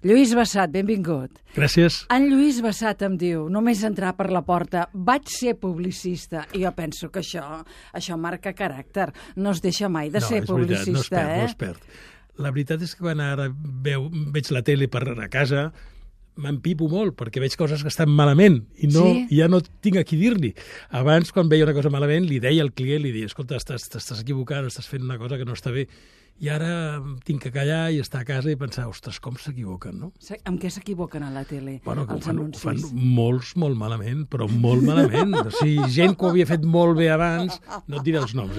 Lluís Bassat, benvingut. Gràcies. En Lluís Bassat em diu, només entrar per la porta, vaig ser publicista. I jo penso que això marca caràcter. No es deixa mai de ser publicista, no es perd. La veritat és que quan ara veig la tele per a casa, m'empipo molt, perquè veig coses que estan malament i ja no tinc a qui dir-li. Abans, quan veia una cosa malament, li deia al client, li deia, escolta, t'estàs equivocant, estàs fent una cosa que no està bé. I ara tinc que callar i estar a casa i pensar, ostres, com s'equivoquen, no? Amb què s'equivoquen a la tele, els anuncis? Ho fan molts, molt malament, però molt malament. O sigui, gent que ho havia fet molt bé abans, no et diré els noms,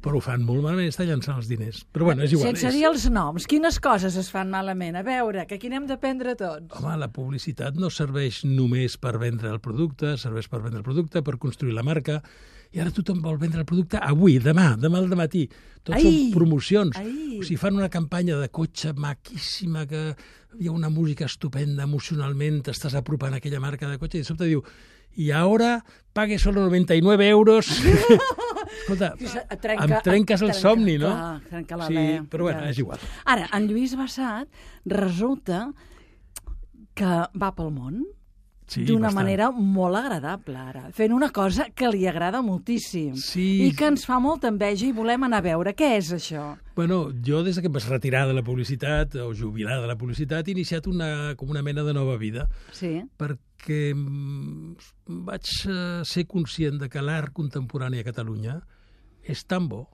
però ho fan molt malament, està llançant els diners. Però bueno, és igual. Sense dir els noms, quines coses es fan malament? A veure, que aquí n'hem d'aprendre tots. Home, la publicitat no serveix només per vendre el producte, serveix per vendre el producte, per construir la marca, i ara tothom vol vendre el producte avui, demà al dematí. Tots són promocions. O sigui, fan una campanya de cotxe maquíssima, que hi ha una música estupenda, emocionalment t'estàs apropant a aquella marca de cotxe, i de sobte diu, i ara pague solo 99 euros. Escolta, em trenques el somni, no? Trenca la sí, veu. Però bueno, és igual. Ara, en Lluís Bassat resulta que va pel món, d'una manera molt agradable, ara, fent una cosa que li agrada moltíssim i que ens fa molta enveja i volem anar a veure. Què és això? Bueno, jo des que em vaig retirar de la publicitat, o jubilar de la publicitat, he iniciat com una mena de nova vida. Sí. Perquè vaig ser conscient de que l'art contemporani a Catalunya és tan bo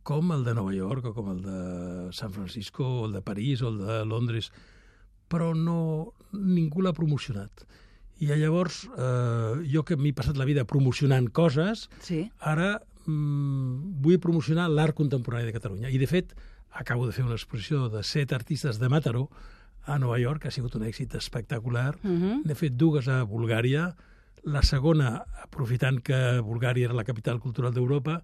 com el de Nova York, o com el de San Francisco, o el de París, o el de Londres, però ningú l'ha promocionat. I llavors, jo que m'he passat la vida promocionant coses, ara vull promocionar l'art contemporani de Catalunya. I, de fet, acabo de fer una exposició de 7 artistes de Mataró a Nova York, que ha sigut un èxit espectacular. N'he fet 2 a Bulgària, la segona, aprofitant que Bulgària era la capital cultural d'Europa,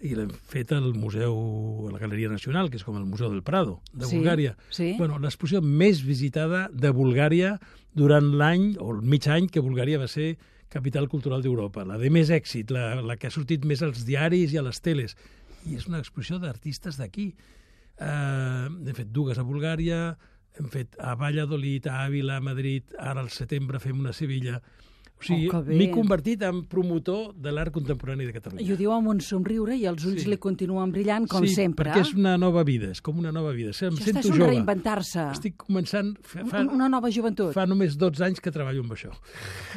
i l'hem fet al Museu, a la Galeria Nacional, que és com el Museu del Prado, de Bulgària. Bueno, l'exposició més visitada de Bulgària durant l'any, o el mig any, que Bulgària va ser capital cultural d'Europa. La de més èxit, la que ha sortit més als diaris i a les teles. I és una exposició d'artistes d'aquí. Hem fet 2 a Bulgària, hem fet a Valladolid, a Àvila, a Madrid, ara al setembre fem una a Sevilla. O sigui, m'he convertit en promotor de l'art contemporani de Catalunya. I ho diu amb un somriure i els ulls li continuen brillant, com sempre. Sí, perquè és una nova vida, és com una nova vida. Em sento jove. Reinventar-se. Estic començant... Una nova joventut. Fa només 12 anys que treballo amb això.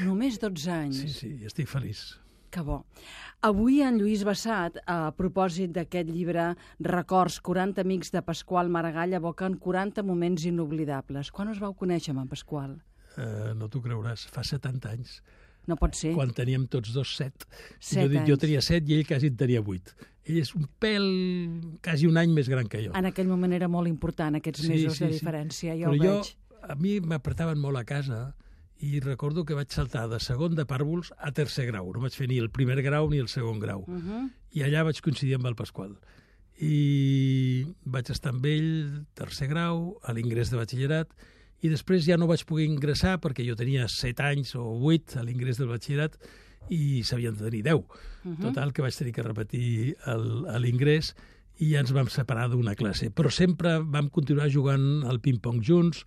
Només 12 anys? Sí, estic feliç. Que bo. Avui en Lluís Bassat, a propòsit d'aquest llibre Records, 40 amics de Pasqual Maragall, evoquen 40 moments inoblidables. Quan us vau conèixer amb en Pasqual? No t'ho creuràs, fa 70 anys. No pot ser. Quan teníem tots 2 7. anys. Jo tenia 7 i ell quasi en tenia 8. Ell és un pèl, quasi un any més gran que jo. En aquell moment era molt important, aquests mesos de diferència, jo ho veig. A mi m'apretaven molt a casa i recordo que vaig saltar de segon de pàrvuls a tercer grau. No vaig fer ni el primer grau ni el segon grau. I allà vaig coincidir amb el Pasqual. I vaig estar amb ell, tercer grau, a l'ingrés de batxillerat, i després ja no vaig poder ingressar perquè jo tenia 7 anys o 8 a l'ingrés del batxillerat i s'havien de tenir 10. Total, que vaig tenir que repetir l'ingrés i ja ens vam separar d'una classe. Però sempre vam continuar jugant al ping-pong junts,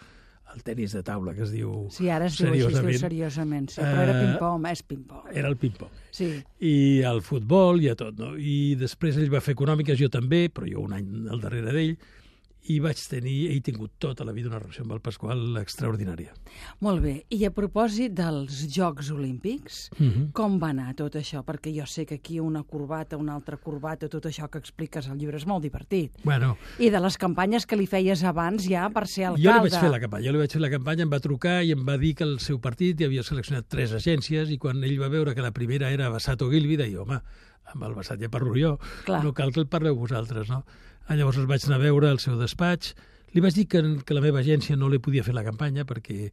al tenis de taula, que es diu seriosament. Sí, ara es diu així, es diu seriosament. Sí, però era ping-pong, és ping-pong. Era el ping-pong. Sí. I al futbol i a tot, no? I després ell va fer econòmiques, jo també, però jo un any al darrere d'ell, i he tingut tota la vida una relació amb el Pasqual extraordinària. Molt bé. I a propòsit dels Jocs Olímpics, com va anar tot això? Perquè jo sé que aquí una corbata, una altra corbata, tot això que expliques al llibre és molt divertit. Bueno. I de les campanyes que li feies abans ja per ser alcalde. Jo li vaig fer la campanya, em va trucar i em va dir que el seu partit havia seleccionat 3 agències i quan ell va veure que la primera era Bassat Ogilvy, deia, home, amb el Bassat ja parlo jo, no cal que el parleu vosaltres, no? Llavors el vaig anar a veure al seu despatx. Li vaig dir que la meva agència no li podia fer la campanya perquè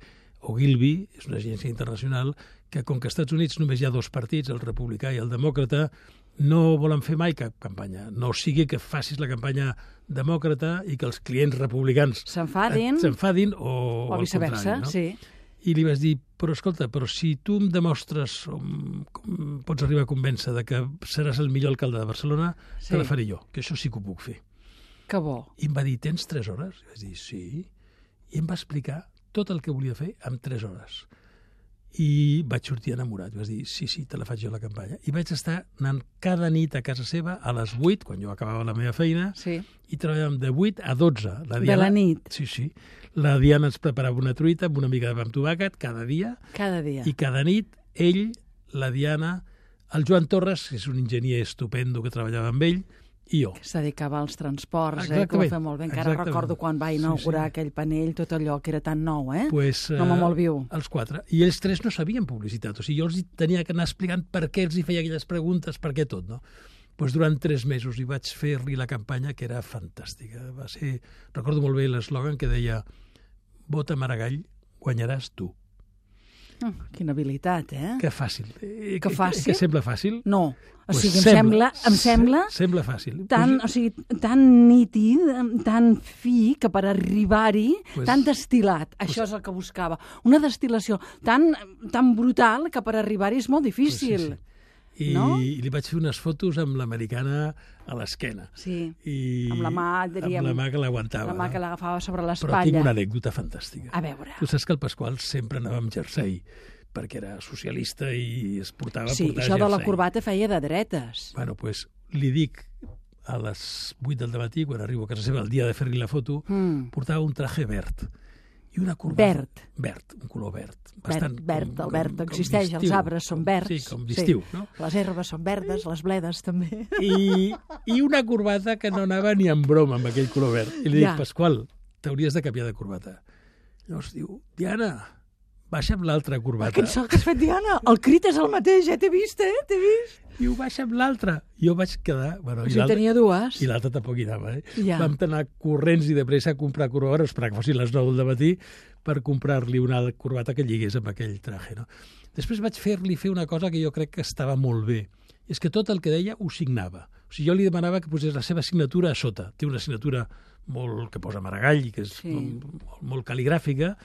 Ogilvy és una agència internacional que, com que als Estats Units només hi ha 2 partits, el republicà i el demòcrata, no volen fer mai cap campanya. No sigui que facis la campanya demòcrata i que els clients republicans s'enfadin o viceversa, no? Sí. I li vaig dir, però escolta, si tu em demostres com pots arribar a convèncer de que seràs el millor alcalde de Barcelona, te la faré jo, que això sí que ho puc fer. Que bo. I em va dir, tens 3 hores? I vaig dir, sí. I em va explicar tot el que volia fer en 3 hores. I vaig sortir enamorat. Vaig dir, sí, te la faig jo la campanya. I vaig estar anant cada nit a casa seva a les 8, quan jo acabava la meva feina, i treballàvem de 8 a 12. De la nit? Sí. La Diana ens preparava una truita amb una mica de pa amb tomàquet cada dia. Cada dia. I cada nit ell, la Diana, el Joan Torres, que és un enginyer estupendo que treballava amb ell, i jo. Que es dedicava als transports, que ho va fer molt bé. Encara recordo quan va inaugurar aquell panell, tot allò que era tan nou, un home molt viu. Els 4. I ells 3 no sabien publicitat. O sigui, jo els tenia que anar explicant per què els hi feia aquelles preguntes, per què tot, no? Durant 3 mesos hi vaig fer-li la campanya, que era fantàstica. Va ser, recordo molt bé l'eslògan que deia «Vota Maragall, guanyaràs tu». Quina habilitat, Que fàcil. Que fàcil? Que sembla fàcil? No. O sigui, em sembla... Sembla fàcil. Tan nítid, tan fi, que per arribar-hi, tan destil·lat. Això és el que buscava. Una destil·lació tan brutal que per arribar-hi és molt difícil. I li vaig fer unes fotos amb l'americana a l'esquena. Sí, amb la mà, diríem... Amb la mà que l'aguantava. La mà que l'agafava sobre l'espatlla. Però tinc una anècdota fantàstica. A veure. Tu saps que el Pasqual sempre anava amb jersei, perquè era socialista i es portava jersei. Sí, això de la corbata feia de dretes. Bueno, doncs li dic a les 8 del matí, quan arribo a casa seva, el dia de fer-li la foto, portava un traje verd. I una corbata... Verd, un color verd. El verd existeix, els arbres són verds. Sí, com d'estiu, no? Les herbes són verdes, les bledes també. I una corbata que no anava ni en broma amb aquell color verd. I li dic, Pasqual, t'hauries de canviar de corbata. Llavors diu, Diana, baixa amb l'altra corbata. Quin salt que has fet, Diana! El crit és el mateix, t'he vist, t'he vist. Diu, baixa amb l'altra. Jo vaig quedar... Bueno, tenia dues. I l'altra tampoc hi anava, Vam anar corrents i de pressa a comprar corbata, esperar que fossin les 9 del matí, per comprar-li una corbata que lligués amb aquell traje, no? Després vaig fer-li fer una cosa que jo crec que estava molt bé. És que tot el que deia ho signava. O sigui, jo li demanava que posés la seva signatura a sota. Té una signatura que posa Maragall, que és molt cal·ligràfica,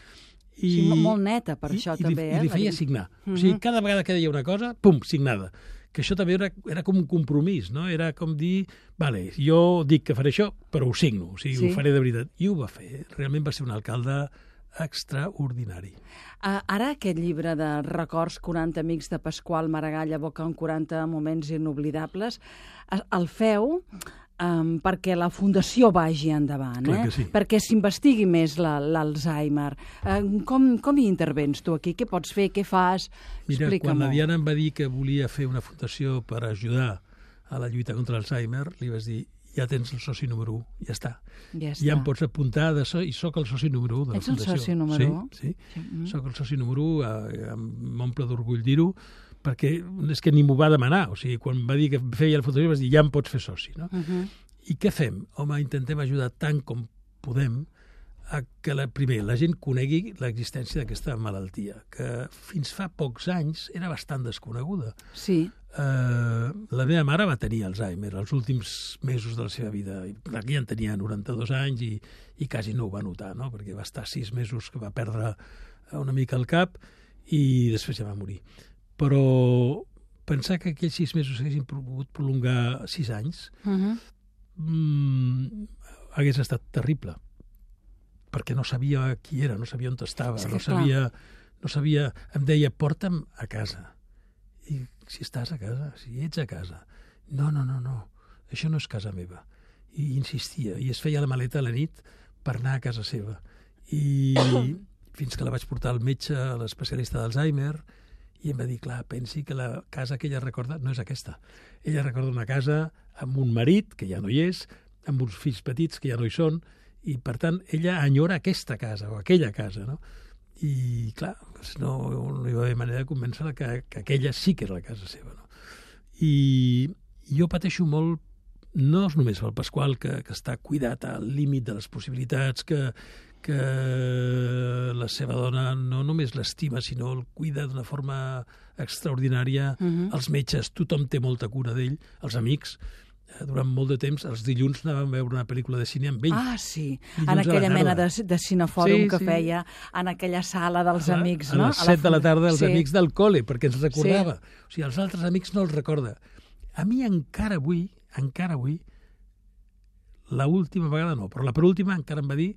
sí, molt neta, per això també. I li feia signar. O sigui, cada vegada que deia una cosa, pum, signada. Que això també era com un compromís, no? Era com dir, vale, jo dic que faré això, però ho signo, o sigui, ho faré de veritat. I ho va fer. Realment va ser un alcalde extraordinari. Ara aquest llibre de records 40 amics de Pasqual Maragall evocant 40 moments inoblidables, el feu perquè la Fundació vagi endavant, perquè s'investigui més l'Alzheimer. Com hi intervens tu aquí? Què pots fer? Què fas? Mira, quan la Diana em va dir que volia fer una fundació per ajudar a la lluita contra l'Alzheimer, li vas dir, ja tens el soci número 1, ja està. Ja em pots apuntar i soc el soci número 1 de la Fundació. Ets el soci número 1? Sí, soc el soci número 1, m'omple d'orgull dir-ho, perquè és que ni m'ho va demanar. O sigui, quan va dir que feia la fundació, vas dir, ja em pots fer soci, no? I què fem? Home, intentem ajudar tant com podem a que, primer, la gent conegui l'existència d'aquesta malaltia, que fins fa pocs anys era bastant desconeguda. Sí. La meva mare va tenir Alzheimer els últims mesos de la seva vida. Ja en tenia 92 anys i quasi no ho va notar, no? Perquè va estar 6 mesos que va perdre una mica el cap i després ja va morir. Però pensar que aquells 6 mesos s'haguessin pogut prolongar 6 anys hagués estat terrible, perquè no sabia qui era, no sabia on estava, no sabia... Em deia, porta'm a casa. I si estàs a casa, si ets a casa. No, això no és casa meva. I insistia, i es feia la maleta a la nit per anar a casa seva. I fins que la vaig portar al metge, a l'especialista d'Alzheimer, i em va dir, clar, pensi que la casa que ella recorda no és aquesta. Ella recorda una casa amb un marit, que ja no hi és, amb uns fills petits, que ja no hi són, i, per tant, ella enyora aquesta casa, o aquella casa, no? I, clar, no hi va haver manera de convèncer-la que aquella sí que era la casa seva, no? I jo pateixo molt, no només pel Pasqual, que està cuidat al límit de les possibilitats, que la seva dona no només l'estima, sinó el cuida d'una forma extraordinària. Els metges, tothom té molta cura d'ell, els amics. Durant molt de temps, els dilluns anàvem a veure una pel·lícula de cine amb ell. Ah, sí, en aquella mena de cinefòrum que feia, en aquella sala dels amics, no? A les 7 de la tarda, els amics del col·le, perquè ens recordava. O sigui, els altres amics no els recorda. A mi encara avui, l'última vegada no, però la penúltima encara em va dir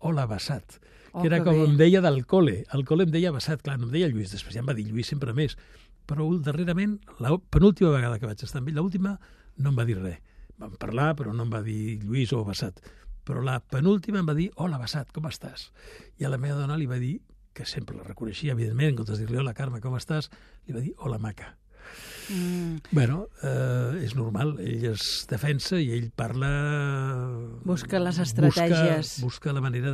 hola, Bassat, que era com em deia del col·le. Al col·le em deia Bassat, clar, no em deia Lluís, després ja em va dir Lluís sempre més. Però darrerament, la penúltima vegada que vaig estar amb ell, l'última no em va dir res. Vam parlar, però no em va dir Lluís o Bassat. Però la penúltima em va dir, hola Bassat, com estàs? I a la meva dona li va dir, que sempre la reconeixia, evidentment, en comptes de dir-li, hola Carme, com estàs? Li va dir, hola maca. Bueno, és normal, ell es defensa i ell parla... Busca les estratègies. Busca la manera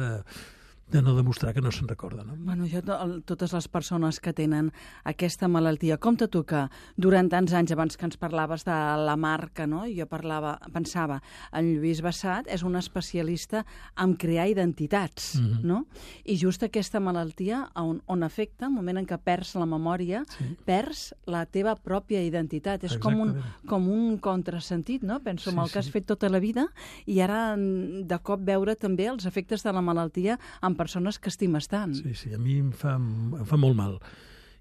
de no demostrar que no se'n recorda. No? Bueno, totes les persones que tenen aquesta malaltia, compte tu que durant tants anys, abans que ens parlaves de la marca, no? Jo pensava, en Lluís Bassat és un especialista en crear identitats, no? I just aquesta malaltia on afecta, el moment en què perds la memòria, perds la teva pròpia identitat. És com un contrasentit, no? Penso en el que has fet tota la vida i ara de cop veure també els efectes de la malaltia en persones que estimes tant. Sí, a mi em fa molt mal.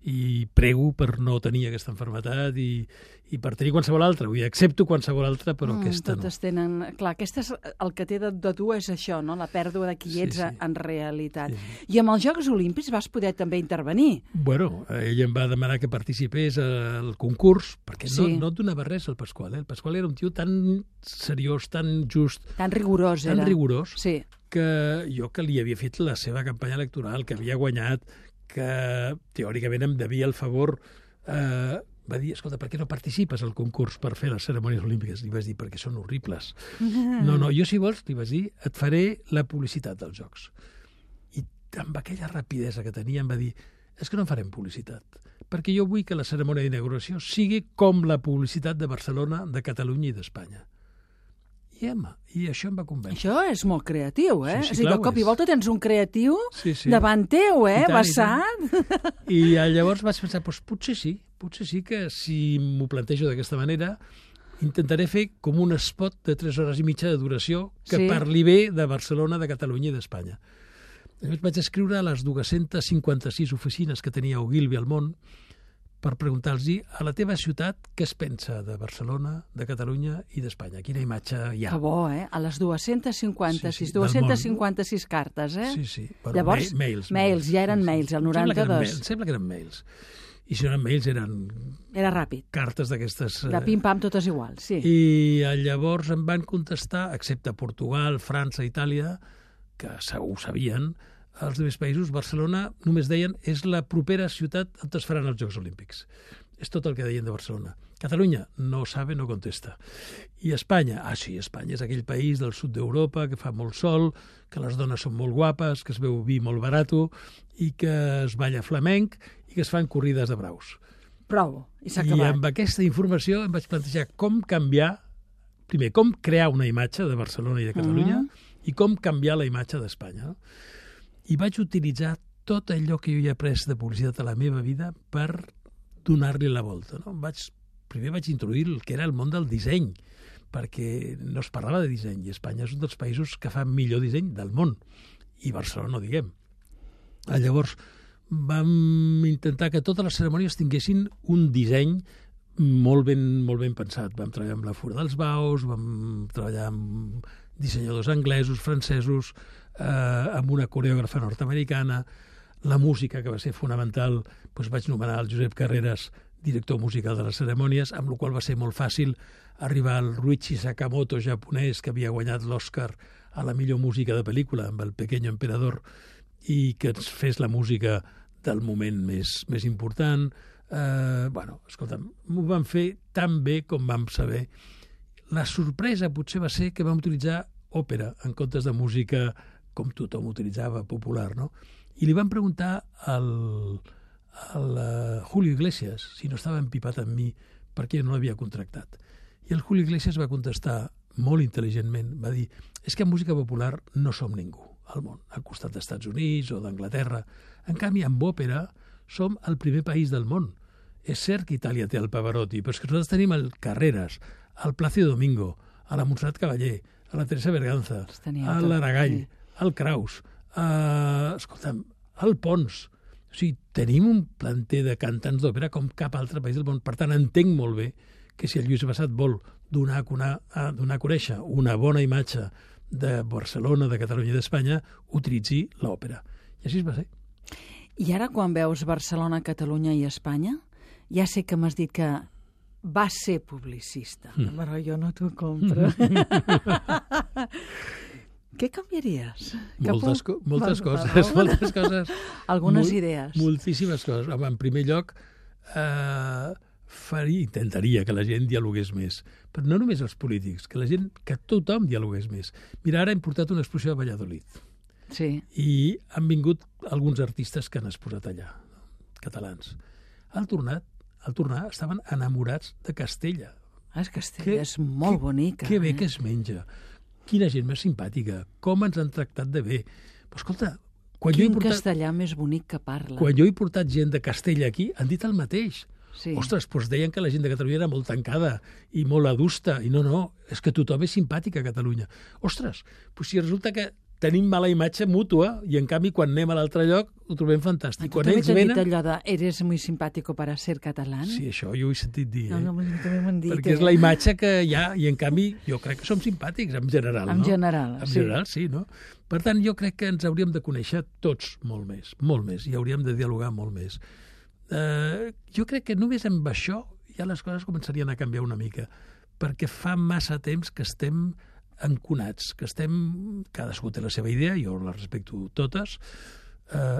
I prego per no tenir aquesta malaltia i per tenir qualsevol altra. Vull dir, accepto qualsevol altra, però aquesta no. Totes tenen... Clar, el que té de tu és això, no? La pèrdua de qui ets en realitat. Sí. I amb els Jocs Olímpics vas poder també intervenir. Bueno, ell em va demanar que participés al concurs, perquè no et donava res al Pasqual. El Pasqual era un tio tan seriós, tan just... Tan rigorós era. Tan rigorós, sí. Que jo que li havia fet la seva campanya electoral, que havia guanyat, que teòricament em devia el favor, va dir, escolta, per què no participes al concurs per fer les cerimònies olímpiques? Li vaig dir, perquè són horribles. No, jo si vols, li vaig dir, et faré la publicitat dels Jocs. I amb aquella rapidesa que tenia em va dir, és que no en farem publicitat, perquè jo vull que la cerimònia d'inauguració sigui com la publicitat de Barcelona, de Catalunya i d'Espanya. I això em va convèncer. Això és molt creatiu, eh? Sí, de cop i volta tens un creatiu davant teu, Bassat? I llavors vaig pensar, potser sí que si m'ho plantejo d'aquesta manera intentaré fer com un spot de 3 hores i mitja de duració que parli bé de Barcelona, de Catalunya i d'Espanya. Llavors vaig escriure a les 256 oficines que tenia Ogilvy al món per preguntar-los a la teva ciutat què es pensa de Barcelona, de Catalunya i d'Espanya. Quina imatge hi ha? Que bo, A les 256 cartes, Sí. Bueno, llavors, mails, ja eren mails, el 92. Sembla que eren mails. I si no eren mails, eren... Era ràpid. Cartes d'aquestes... De pim-pam, totes iguals, sí. I llavors em van contestar, excepte Portugal, França, Itàlia, que ho sabien, als altres països, Barcelona, només deien, és la propera ciutat on es faran els Jocs Olímpics. És tot el que deien de Barcelona. Catalunya no sabe, no contesta. I Espanya? Sí, Espanya és aquell país del sud d'Europa que fa molt sol, que les dones són molt guapes, que es veu vi molt barato i que es balla flamenc i que es fan corrides de braus. Prou, i s'ha acabat. I amb aquesta informació em vaig plantejar com canviar, primer, com crear una imatge de Barcelona i de Catalunya i com canviar la imatge d'Espanya, no? I vaig utilitzar tot allò que jo he après de publicitat a la meva vida per donar-li la volta. No? Primer vaig introduir el que era el món del disseny, perquè no es parlava de disseny, i Espanya és un dels països que fa millor disseny del món, i Barcelona no diguem. Llavors vam intentar que totes les cerimònies tinguessin un disseny molt ben pensat. Vam treballar amb la Fura dels Baus, vam treballar amb dissenyadors anglesos, francesos, amb una coreògrafa nord-americana, la música, que va ser fonamental, doncs vaig nomenar el Josep Carreras director musical de les cerimònies, amb la qual va ser molt fàcil arribar al Ruichi Sakamoto japonès, que havia guanyat l'Oscar a la millor música de pel·lícula, amb El Pequeño Emperador, i que ens fes la música del moment més important. Escolta'm, m'ho vam fer tan bé com vam saber. La sorpresa potser va ser que vam utilitzar òpera en comptes de música com tothom utilitzava, popular, no? I li van preguntar al Julio Iglesias si no estava empipat amb mi perquè no l'havia contractat. I el Julio Iglesias va contestar molt intel·ligentment, va dir, és que en música popular no som ningú al món, al costat dels Estats Units o d'Anglaterra. En canvi, amb òpera som el primer país del món. És cert que Itàlia té el Pavarotti, però és que nosaltres tenim el Carreras, el Plácido Domingo, a la Montserrat Caballé, a la Teresa Berganza, a l'Aragall, al Kraus, escolta'm, al Pons. O sigui, tenim un planter de cantants d'òpera com cap altre país del món. Per tant, entenc molt bé que si el Lluís Bassat vol donar a conèixer una bona imatge de Barcelona, de Catalunya i d'Espanya, utilitzi l'òpera. I així va ser. I ara, quan veus Barcelona, Catalunya i Espanya, ja sé que m'has dit que va ser publicista, però jo no t'ho compro. Què canviaries? Moltes coses. Algunes idees. Moltíssimes coses. En primer lloc, intentaria que la gent dialogués més. Però no només els polítics, que tothom dialogués més. Mira, ara hem portat una exposició a Valladolid. Sí. I han vingut alguns artistes que han exposat allà, catalans. Al tornar estaven enamorats de Castella. Castella és molt bonica. Que bé que es menja. Quina gent més simpàtica. Com ens han tractat de bé. Però escolta, castellà més bonic que parla. Quan jo he portat gent de Castella aquí, han dit el mateix. Sí. Ostres, doncs deien que la gent de Catalunya era molt tancada i molt adusta. I no, és que tothom és simpàtic a Catalunya. Ostres, doncs si resulta que tenim mala imatge mútua i, en canvi, quan anem a l'altre lloc ho trobem fantàstic. Tu també t'han dit allò de «eres muy simpático para ser catalán»? Sí, això jo ho he sentit dir. No, també m'han dit. Perquè és la imatge que hi ha i, en canvi, jo crec que som simpàtics, en general, no? En general, sí. En general, sí, no? Per tant, jo crec que ens hauríem de conèixer tots molt més, i hauríem de dialogar molt més. Jo crec que només amb això ja les coses començarien a canviar una mica, perquè fa massa temps que estem enconats, que cadascú té la seva idea, jo les respecto totes,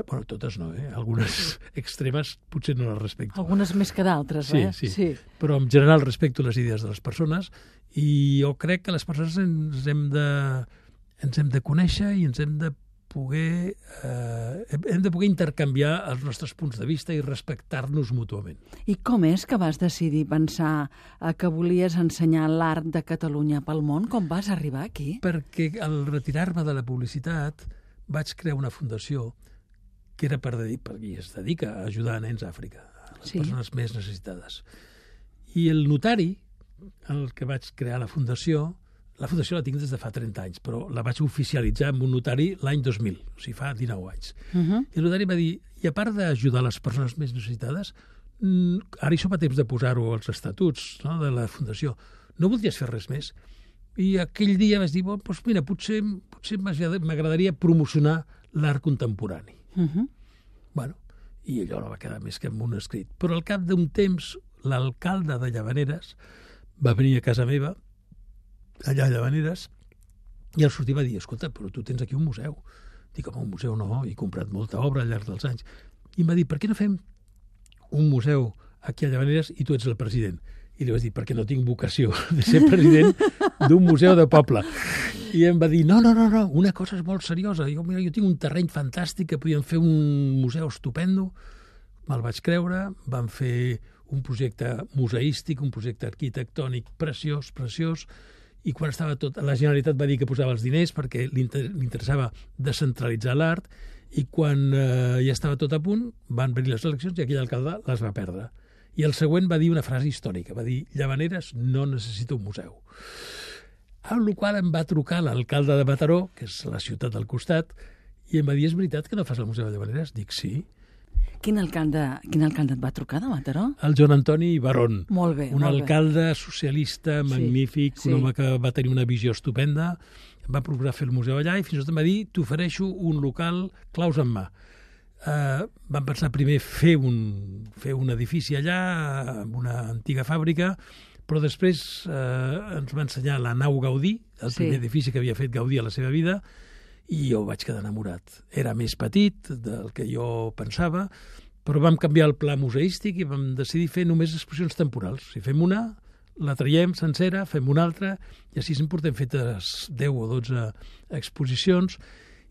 totes no, algunes extremes potser no les respecto. Algunes més que d'altres, Sí. Però en general respecto les idees de les persones i jo crec que les persones ens hem de conèixer i ens hem de poder intercanviar els nostres punts de vista i respectar-nos mútuament. I com és que vas decidir pensar que volies ensenyar l'art de Catalunya pel món? Com vas arribar aquí? Perquè al retirar-me de la publicitat vaig crear una fundació que era perquè es dedica a ajudar nens a Àfrica, a les persones més necessitades. I el notari, el que vaig crear la fundació la tinc des de fa 30 anys, però la vaig oficialitzar amb un notari l'any 2000, o sigui, fa 19 anys. I el notari va dir, i a part d'ajudar les persones més necessitades, ara hi som a temps de posar-ho als estatuts, no?, de la fundació, no voldries fer res més? I aquell dia vaig dir, doncs mira, potser m'agradaria promocionar l'art contemporani. I allò no va quedar més que amb un escrit. Però al cap d'un temps, l'alcalde de Llavaneres va venir a casa meva, allà a Llavaneres, i al sortir va dir, escolta, però tu tens aquí un museu. Dic, home, un museu no, he comprat molta obra al llarg dels anys. I em va dir, per què no fem un museu aquí a Llavaneres i tu ets el president? I li vaig dir, perquè no tinc vocació de ser president d'un museu de poble. I em va dir, no, una cosa és molt seriosa. Dic, mira, jo tinc un terreny fantàstic que podíem fer un museu estupendo. Me'l vaig creure, vam fer un projecte museístic, un projecte arquitectònic preciós, i quan estava tot, la Generalitat va dir que posava els diners perquè li interessava descentralitzar l'art, i quan ja estava tot a punt van venir les eleccions i aquell alcalde les va perdre. I el següent va dir una frase històrica, va dir, Llavaneres no necessita un museu. Amb la qual em va trucar l'alcalde de Mataró, que és la ciutat del costat, i em va dir, és veritat que no fas el museu de Llavaneres? Dic, sí. Quin alcalde et va trucar de Mataró? El Joan Antoni Barón. Molt bé. Un alcalde socialista magnífic, un home que va tenir una visió estupenda, va procurar fer el museu allà i fins i tot em va dir, t'ofereixo un local claus en mà. Vam pensar primer fer un edifici allà, amb una antiga fàbrica, però després ens va ensenyar la nau Gaudí, el primer edifici que havia fet Gaudí a la seva vida, i jo vaig quedar enamorat. Era més petit del que jo pensava, però vam canviar el pla museístic i vam decidir fer només exposicions temporals. Si fem una, la traiem sencera, fem una altra, i així en portem fetes 10 o 12 exposicions,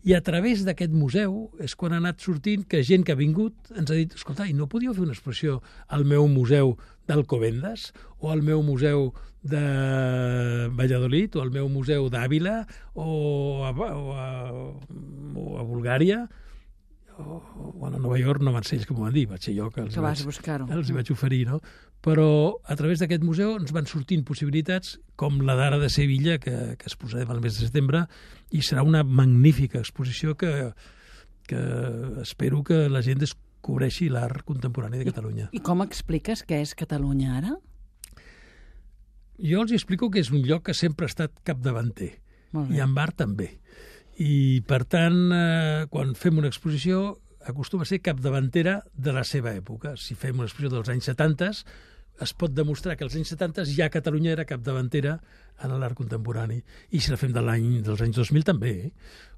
i a través d'aquest museu és quan ha anat sortint que gent que ha vingut ens ha dit, escolta, i no podíeu fer una exposició al meu museu d'Alcobendas o al meu museu de Valladolid o al meu museu d'Àvila o a Bulgària o a Nova York? No van ser ells que m'ho van dir, vaig ser jo que els hi vaig oferir, no? Però a través d'aquest museu ens van sortint possibilitats com la d'ara de Sevilla, que es posarem al mes de setembre, i serà una magnífica exposició que espero que la gent descobreixi l'art contemporani de Catalunya. I com expliques què és Catalunya ara? Jo els explico que és un lloc que sempre ha estat capdavanter, i en art també. I, per tant, quan fem una exposició, acostuma a ser capdavantera de la seva època. Si fem una exposició dels anys 70, es pot demostrar que als anys 70 ja Catalunya era capdavantera en l'art contemporani. I si la fem dels anys 2000 també.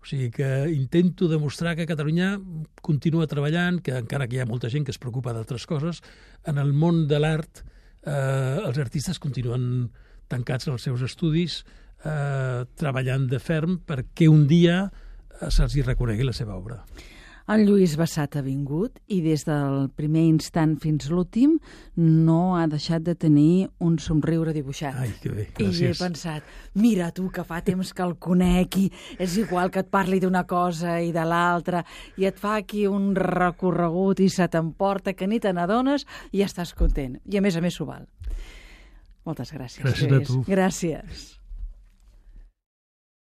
O sigui que intento demostrar que Catalunya continua treballant, que encara que hi ha molta gent que es preocupa d'altres coses, en el món de l'art els artistes continuen tancats en els seus estudis, treballant de ferm perquè un dia se'ls reconegui la seva obra. En Lluís Bassat ha vingut i des del primer instant fins l'últim no ha deixat de tenir un somriure dibuixat. Ai, que bé, gràcies. I he pensat, mira tu, que fa temps que el conec i és igual que et parli d'una cosa i de l'altra i et fa aquí un recorregut i se t'emporta que ni te n'adones i estàs content. I a més s'ho val. Moltes gràcies. Gràcies a tu. Gràcies.